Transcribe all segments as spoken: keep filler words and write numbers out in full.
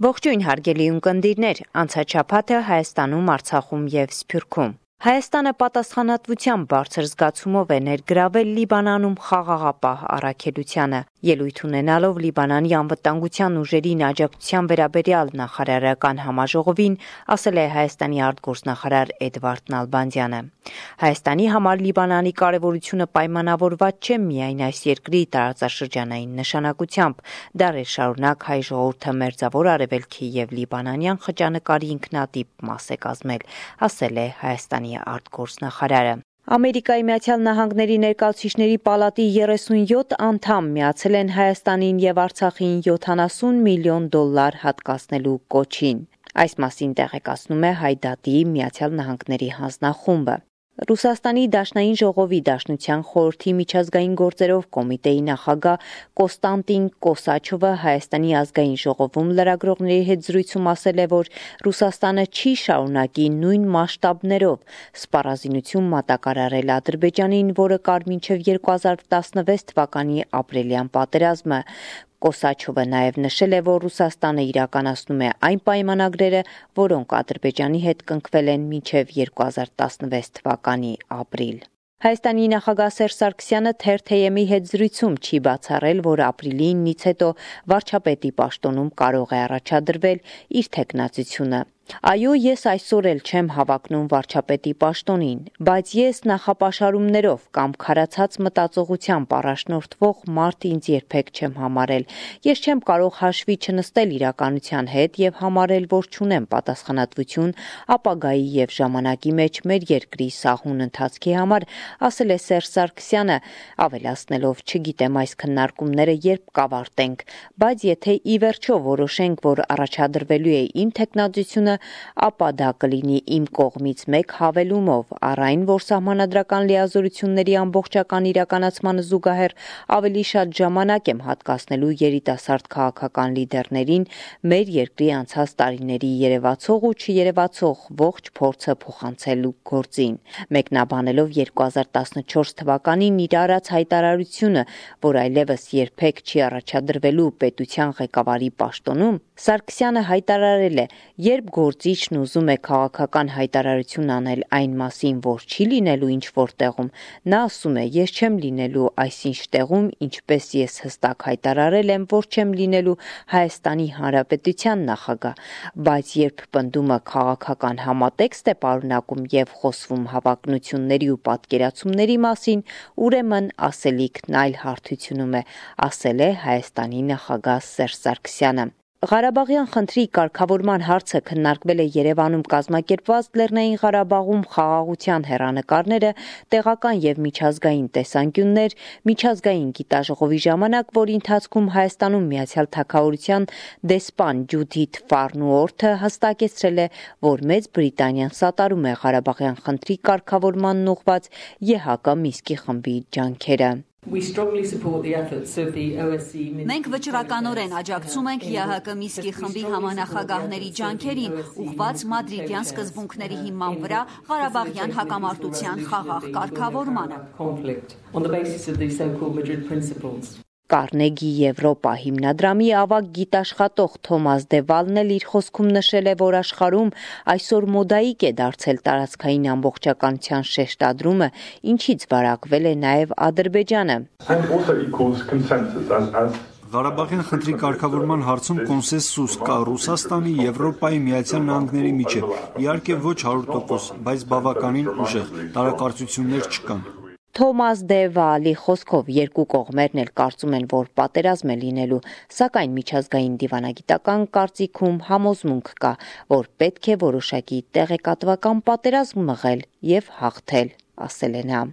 Ողջույն հարգելի ունկնդիրներ, անցած շաբաթը Հայաստանում, Արցախում եւ Սփյուռքում։ Հայաստանը պատասխանատվության բարձր զգացումով է ներգրավել Լիբանանում խաղաղապահ առաքելությանը, ելույթ ունենալով Լիբանանի անվտանգության ուժերին աջակցության վերաբերյալ նախարարական համաժողովին, ասել է Հայաստանի արտգործնախարար Էդվարդ Նալբանդյանը։ Հայաստանի համար Լիբանանի կարևորությունը պայմանավորված չէ միայն այս երկրի տարածաշրջանային նշանակությամբ, դարեր շարունակ հայ ժողովուրդը մերձավոր Արևելքի եւ Լիբանանյան խճանկարի ինքնատիպ մաս է կազմել, ասել է Հայաստանի արտգործնախարարը։ Ամերիկայի Միացյալ Նահանգների ներկայացուցիչների պալատի երեսունյոթ անդամ միացել են Հայաստանին եւ Արցախին յոթանասուն միլիոն դոլար հատկացնելու կոչին։ Այս մասին տեղեկացնում է Հայդատի Միացյալ Նահանգների հանձնախումբը։ Ռուսաստանի Դաշնային ժողովի Դաշնության խորհրդի միջազգային գործերով կոմիտեի նախագահ Կոստանտին Կոսաչովը Հայաստանի ազգային ժողովում լրագրողների հետ զրույցում ասել է, որ Ռուսաստանը չի շարունակի նույն մասշտաբներով սպառազինություն մատակարարել Ադրբեջանին, որը կար մինչև երկու հազար տասնվեց թվականի ապրիլյան պատերազմը։ Կոսաչովը նաև նշել է, որ Ռուսաստանը իրականացնում է այն պայմանագրերը, որոնք Ադրբեջանի հետ կնքվել են մինչև երկու հազար տասնվեց թվականի ապրիլ։ Հայաստանի նախագահ Սերժ Սարգսյանը Թերթեյեմի հետ զրույցում չի բացառել, որ ապրիլի իննից հետո վարչապետի պաշտոնում կարող է առաջադրվել իր թեկնածությունը։ Այո, ես այսօր էլ չեմ հավակնում վարչապետի պաշտոնին, բայց ես նախապաշարումներով կամ քարացած մտածողությամբ առաջնորդվող մարդ ինձ երբեք չեմ համարել։ Ես չեմ կարող հաշվի չնստել իրականության հետ եւ համարել, որ չունեմ պատասխանատվություն ապագայի եւ ժամանակի մեջ մեր երկրի սահուն ընթացքի համար, ասել է Սերժ Սարգսյանը, ավելացնելով, չգիտեմ այս քննարկումները երբ կավարտենք, բայց եթե ի վերջո որոշենք, որ առաջադրվելու է իմ թեկնածությունը, ապա դա կլինի իմ կողմից մեկ հավելումով առ այն, որ սահմանադրական լիազորությունների ամբողջական իրականացմանը զուգահեռ ավելի շատ ժամանակ եմ հատկացնելու երիտասարդ քաղաքական լիդերներին մեր երկրի անցած տարիների երևացող ու չերևացող ողջ փորձը փոխանցելու գործին, մեկնաբանելով երկու հազար տասնչորս թվականին իր արած հայտարարությունը, որ այլևս երբեք չի առաջադրվելու պետության ղեկավարի պաշտոնում, Սարգսյանը հայտարարել է, երբ գործիչն ուզում է քաղաքական հայտարարություն անել այն մասին, որ չի լինելու ինչ-որ տեղում, նա ասում է, ես չեմ լինելու այսինչ տեղում, ինչպես ես հստակ հայտարարել եմ, որ չեմ լինելու Հայաստանի Հանրապետության նախագահ, բայց երբ պնդումը քաղաքական համատեքստ է պարունակում եւ խոսվում հավակնությունների ու պատկերացումների մասին, ուրեմն ասելիքն այլ հարթությունում է, ասել է Հայաստանի նախագահ Սերժ Սարգսյանը։ Ղարաբաղյան խնդրի կարգավորման հարցը քննարկվել է Երևանում կազմակերպված Լեռնային Ղարաբաղում խաղաղության հեռանկարները, տեղական եւ միջազգային տեսանկյուններ, միջազգային գիտաժողովի ժամանակ, որի ընթացքում Հայաստանում Միացյալ Թագավորության դեսպան Ջուդիթ Ֆարնուորթը հստակեցրել է, որ Մեծ Բրիտանիան սատարում է Ղարաբաղյան խնդրի կարգավորմանն ուղղված ԵՀԿ Մինսկի խմբի ջանքերը։ Մենք վճռականորեն աջակցում ենք ԵՀԿ Մինսկի խմբի համանախագահների ջանքերին, ուղղված մադրիդյան սկզբունքների հիման վրա Ղարաբաղյան հակամարտության խաղաղ կարգավորմանը։ Կարնեգի Եվրոպա հիմնադրամի ավագ գիտաշխատող Թոմաս Դևալն էլ իր խոսքում նշել է, որ աշխարհում այսօր մոդայիկ է դարձել տարածքային ամբողջականության շեշտադրումը, ինչից վարակվել է նաև Ադրբեջանը։ Ղարաբաղյան խնդրի կարգավորման հարցում կոնսենսուս կա Ռուսաստանի, Եվրոպայի, Միացյալ Նահանգների միջև, իհարկե ոչ հարյուր տոկոս, բայց բավականին ուժեղ, տարակարծություններ չկան։ Թոմաս Դե Վալի խոսքով երկու կողմերն էլ կարծում են, որ պատերազմ է լինելու, սակայն միջազգային դիվանագիտական կարծիքում համոզմունք կա, որ պետք է որոշակի տեղեկատվական պատերազմ մղել եւ հաղթել, ասել է նա։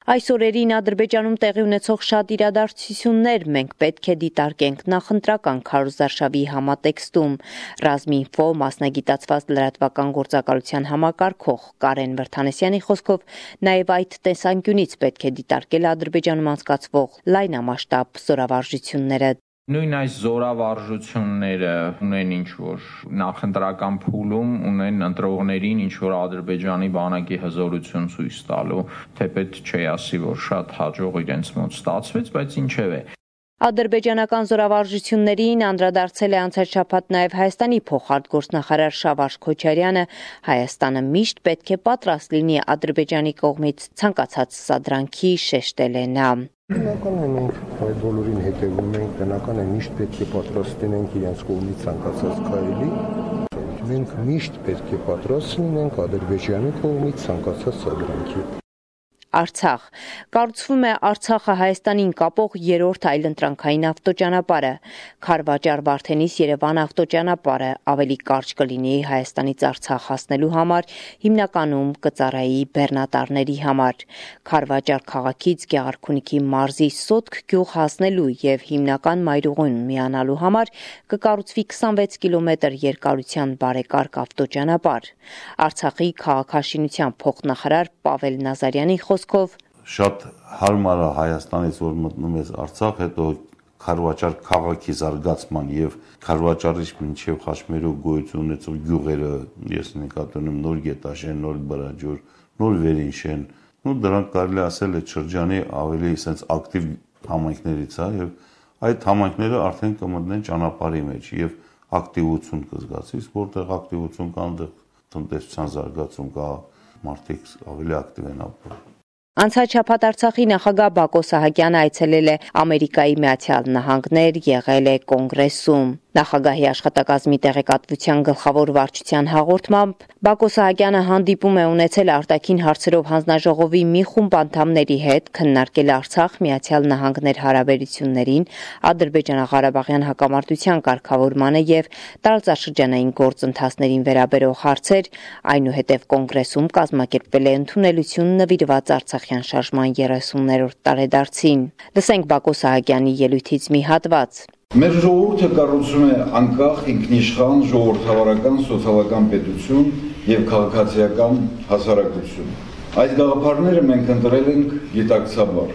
Այս օրերին Ադրբեջանում տեղի ունեցող շատ իրադարձություններ մենք պետք է դիտարկենք նախընտրական քարոզարշավի համատեքստում։ Ռազմինֆո մասնագիտացված լրատվական գործակալության համակարգող Կարեն Վրդանեսյանի խոսքով նաև այդ տեսանկյունից պետք է դիտարկել Ադրբեջանում անցկացվող լայնամասշտաբ զորավարժությունները։ Նույն այս զորավարժությունները ունեն ինչ-որ նախընտրական փուլում, ունեն ընտրողներին ինչ-որ Ադրբեջանի բանակի հզորություն ցույց տալու, թեպետ չի ասի, որ շատ հաջող իրենց մոտ ստացվեց, բայց ինչևէ։ Ադրբեջանական զորավարժություններին անդրադարձել է անցած շաբաթ նաև Հայաստանի փոխարտգործնախարար Շավարժ Քոչարյանը, Հայաստանը միշտ պետք է պատրաստ լինի Ադրբեջանի կողմից ցանկացած սադրանքի, շեշտել է նա. Բնական է մենք այդ բոլորին հետևում ենք, բնական է միշտ պետք է պատրաստ լինենք իրենց կողմից ցանկացած քայլի, մենք միշտ պետք է պատրաստ լինենք Ադրբեջանի կողմից ցանկացած սադրանքի։ Արցախ. Կառուցվում է Արցախը Հայաստանին կապող երրորդ այլընտրանքային ավտոճանապարհը, Քարվաճար-Վարդենիս Երևան ավտոճանապարհը ավելի կարճ կլինի Հայաստանից Արցախ հասնելու համար, հիմնականում կծառայի բեռնատարների համար։ Քարվաճար քաղաքից Գեղարքունիքի մարզի Սոտք գյուղ հասնելու եւ հիմնական մայրուղուն միանալու համար կկառուցվի քսանվեց կիլոմետր երկարության բարեկարգ ավտոճանապարհ։ Արցախի քաղաքաշինության փոխնախարար Պավել Նազարյանի Շատ հարմար է Հայաստանից, որ մտնում ես Արցախ, հետո Քարվաճար քաղաքի զարգացման եւ Քարվաճարից մինչեւ Խաչմերուկ գոյություն ունեցող գյուղերը, ես նկատի ունեմ նոր Գետաշեն, նոր Բրաջոր, նոր Վերինշեն, ու դրանք կարելի ասել է շրջանի ավելի sense ակտիվ համայնքներից է եւ այդ համայնքները արդեն կմտնեն ճանապարհի մեջ եւ ակտիվություն կզգացի, որտեղ ակտիվություն կա, այնտեղ տնտեսության զարգացում կա, մարդիկ ավելի ակտիվ են ապրում։ Անցած շաբաթ Արցախի նախագահ Բակո Սահակյանը այցելել է Ամերիկայի Միացյալ Նահանգներ, եղել է կոնգրեսում։ Նախագահի աշխատակազմի տեղեկատվության գլխավոր վարչության հաղորդմամբ Բակո Սահակյանը հանդիպում է ունեցել արտաքին հարցերով հանձնաժողովի մի խումբ անդամների հետ, քննարկել Արցախ Միացյալ Նահանգներ հարաբերություններին, Ադրբեջանա-Ղարաբաղյան հակամարտության կարգավորմանը եւ տարածաշրջանային գործընթացներին վերաբերող հարցեր, այնուհետև կոնգրեսում կազմակերպվել է ընդունելություն նվիրված Արցախյան շարժման երեսուններորդ տարեդարձին։ Լսենք Բակո Սահակյանի ելույթից մի հատված։ Մեր ժողովուրդը կառուցում է անկախ, ինքնիշխան, ժողովրդավարական, սոցիալական պետություն եւ քաղաքացիական հասարակություն։ Այս գաղափարները մենք ընտրել ենք գիտակցաբար։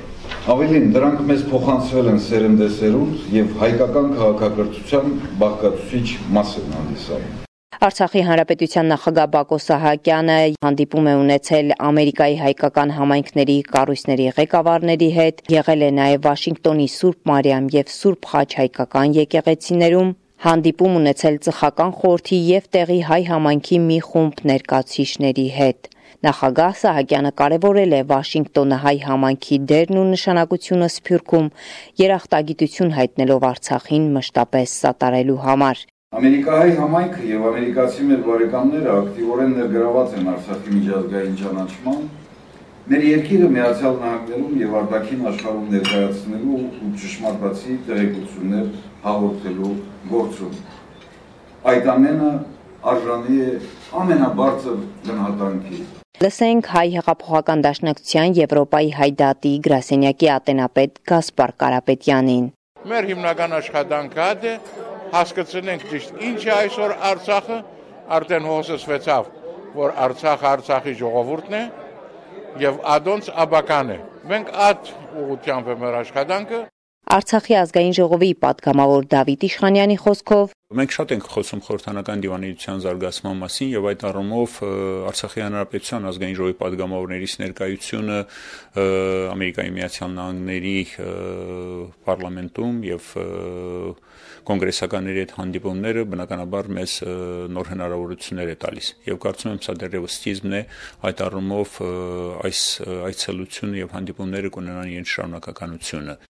Ավելին, դրանք մեզ փոխանցվել են սերնդեսերունդ եւ հայկական քաղաքակրթության բաղկացուցիչ մաս են հանդիսանում։ Արցախի հանրապետության նախագահ Բակո Սահակյանը հանդիպում է ունեցել Ամերիկայի հայկական համայնքների կառույցների ղեկավարների հետ, եղել է նաև Վաշինգտոնի Սուրբ Մարիամ եւ Սուրբ Խաչ հայկական եկեղեցիներում, հանդիպում ունեցել Ծխական խորհրդի եւ տեղի հայ համայնքի մի խումբ ներկայացուցիչների հետ։ Նախագահ Սահակյանը կարևորել է Վաշինգտոնը հայ համայնքի դերն ու նշանակությունը Սփյուռքում, երախտագիտություն հայտնելով Արցախին մշտապես սատարելու համար։ Ամերիկահայ համայնքը եւ ամերիկացի մեր բարեկամները ակտիվորեն ներգրաված են Արցախի միջազգային ճանաչման, մեր երկիրը Միացյալ Նահանգներում եւ արտաքին աշխարհում ներկայացնելու ու ճշմարտացի տեղեկություններ հաղորդելու գործում։ Այդ ամենը արժանի է ամենաբարձր գնահատանքի։ Լսենք հայ հեղափոխական դաշնակցության Եվրոպայի հայդատի գրասենյակի ատենապետ Գասպար Կարապետյանին։ Մեր հիմնական աշխատանքը դա հասկացնենք ճիշտ ինչ է այսօր Արցախը, արդեն հոսեցվեցավ, որ Արցախը Արցախի ժողովուրդն է եւ ադոնց աբական է։ Մենք այդ ուղղությամբ է մեր աշխատանքը։ Արցախի ազգային ժողովի պատգամավոր Դավիթ Իշխանյանի խոսքով Մենք շատ ենք խոսում խորհրդանական դիվանագիտության զարգացման մասին եւ այդ առումով Արցախի հանրապետության ազգային ժողովի պատգամավորներից ներկայությունը Ամերիկայի Միացյալ Նահանգների պարլամենտում եւ կոնգրեսականների հետ հանդիպումները բնականաբար մեզ նոր հնարավորություններ է տալիս եւ կարծում եմ սա դեռևս սկիզբն է այդ առումով այս այցելությունը եւ հանդիպումները կունենան իրենց շարունակականությունը։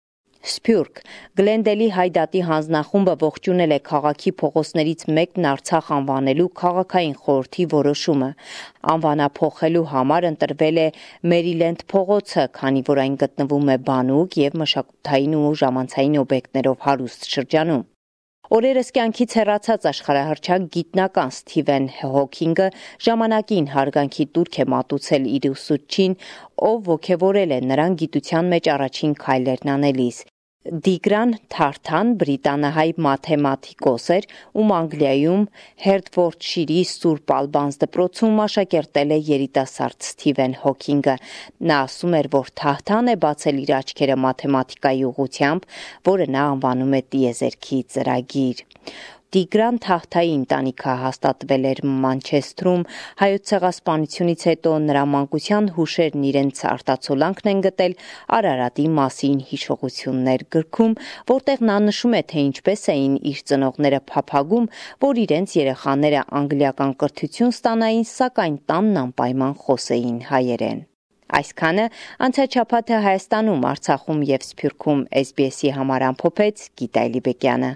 Սփյուռք Գլենդելի հայդատի հանձնախումբը ողջունել է քաղաքի փողոցներից մեկն Արցախ անվանելու քաղաքային խորհրդի որոշումը։ Անվանափոխելու համար ընտրվել է Մերիլենդ փողոցը, քանի որ այն գտնվում է բանուկ եւ մշակութային ու ժամանցային օբյեկտներով հարուստ շրջանում։ Օրերս կյանքից հեռացած աշխարհահռչակ գիտնական Սթիվեն Հոքինգը ժամանակին հարգանքի տուրք է մատուցել իր ուսուցչին, ով ոգևորել է նրան գիտության մեջ առաջին քայլերն անելիս։ Դիգրան Թարթան բրիտանահայ մաթեմատիկոս էր, ում Անգլիայում Հերտֆորդշիրի Սուրբ Ալբանս դպրոցում աշակերտել է երիտասարդ Սթիվեն Հոքինգը։ Նա ասում էր, որ Թարթան է բացել իր աչքերը մաթեմատիկայի ուղղությամբ, որը նա անվանում է տիեզերքի ծրագիր։ Տիգրան Թահթայի ընտանիքը հաստատվել էր Մանչեսթրում, հայոց ցեղասպանությունից հետո նրա մանկության հուշերն իրենց արտացոլանքն են գտել Արարատի մասին հիշողություններ գրքում, որտեղ նա նշում է, թե ինչպես էին իր ծնողները փափագում, որ իրենց երեխաները անգլիական կրթություն ստանային, սակայն տանն անպայման խոսեին հայերեն։ Այսքանը անցած շաբաթը Հայաստանում, Արցախում և Սփյուռքում էս բի էսի համար ամփոփեց Գիտա Էլիբեկյանը։